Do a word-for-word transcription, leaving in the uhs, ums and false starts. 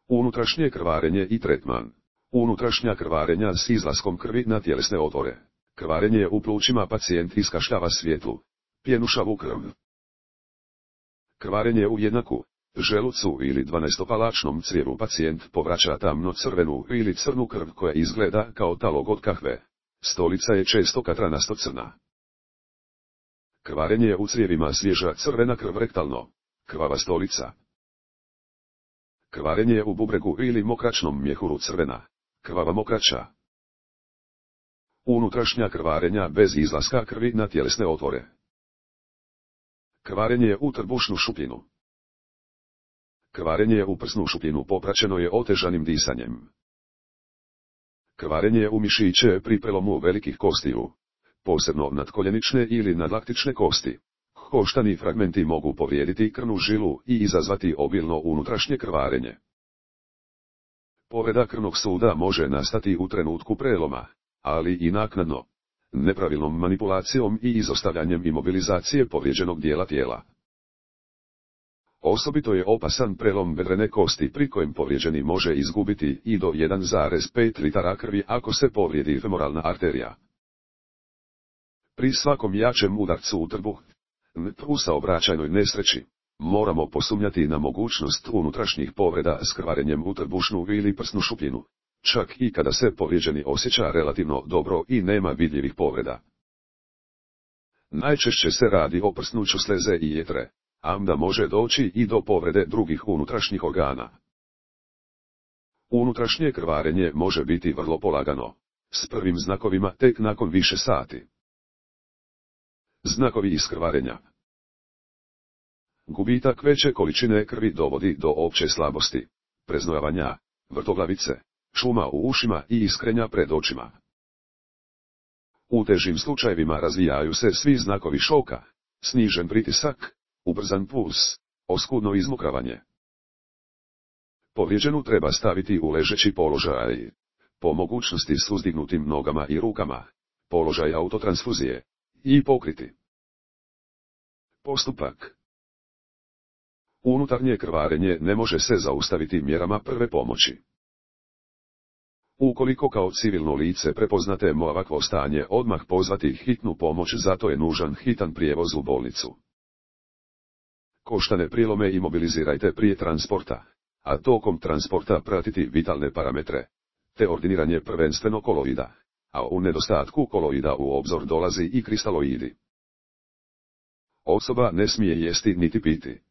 Unutrašnje krvarenje i tretman. Unutrašnja krvarenja s izlaskom krvi na tjelesne otvore. Krvarenje u plućima, pacijent iskašljava svjetlu, pjenušavu krv. Krvarenje u jednaku, želucu ili dvanaestopalačnom crijevu, pacijent povraća tamno crvenu ili crnu krv koja izgleda kao talog od kahve. Stolica je često katranasto crna. Krvarenje u crijevima, svježa crvena krv rektalno, krvava stolica. Krvarenje u bubregu ili mokračnom mjehuru, crvena, krvava mokraća. Unutrašnja krvarenja bez izlaska krvi na tjelesne otvore. Krvarenje u trbušnu šupljinu. Krvarenje u prsnu šupljinu popraćeno je otežanim disanjem. Krvarenje u mišiće pri prelomu velikih kostiju, posebno nadkoljenične ili nadlaktične kosti. Koštani fragmenti mogu povrijediti krvnu žilu i izazvati obilno unutrašnje krvarenje. Povreda krvnog suda može nastati u trenutku preloma, ali i naknadno, nepravilnom manipulacijom i izostavljanjem imobilizacije povrijeđenog dijela tijela. Osobito je opasan prelom bedrene kosti pri kojem povrijeđeni može izgubiti i do jedan zarez pet litara krvi ako se povrijedi femoralna arterija. Pri svakom jačem udarcu u trbuh, u saobraćajnoj nesreći, moramo posumnjati na mogućnost unutrašnjih povreda s krvarenjem u trbušnu ili prsnu šupljinu, čak i kada se povrijeđeni osjeća relativno dobro i nema vidljivih povreda. Najčešće se radi o prsnuću sleze i jetre, a onda može doći i do povrede drugih unutrašnjih organa. Unutrašnje krvarenje može biti vrlo polagano, s prvim znakovima tek nakon više sati. Znakovi iskrvarenja. Gubitak veće količine krvi dovodi do opće slabosti, preznojavanja, vrtoglavice, šuma u ušima i iskrenja pred očima. U težim slučajevima razvijaju se svi znakovi šoka, snižen pritisak, ubrzan puls, oskudno izmokravanje. Povrijeđenu treba staviti u ležeći položaj, po mogućnosti s uzdignutim nogama i rukama, položaj autotransfuzije, i pokriti. Postupak. Unutarnje krvarenje ne može se zaustaviti mjerama prve pomoći. Ukoliko kao civilno lice prepoznate ovakvo stanje, odmah pozvati hitnu pomoć, zato je nužan hitan prijevoz u bolnicu. Koštane prilome imobilizirajte prije transporta, a tokom transporta pratiti vitalne parametre, te ordiniranje prvenstveno koloida, a u nedostatku koloida u obzor dolazi i kristaloidi. Osoba ne smije jesti niti piti.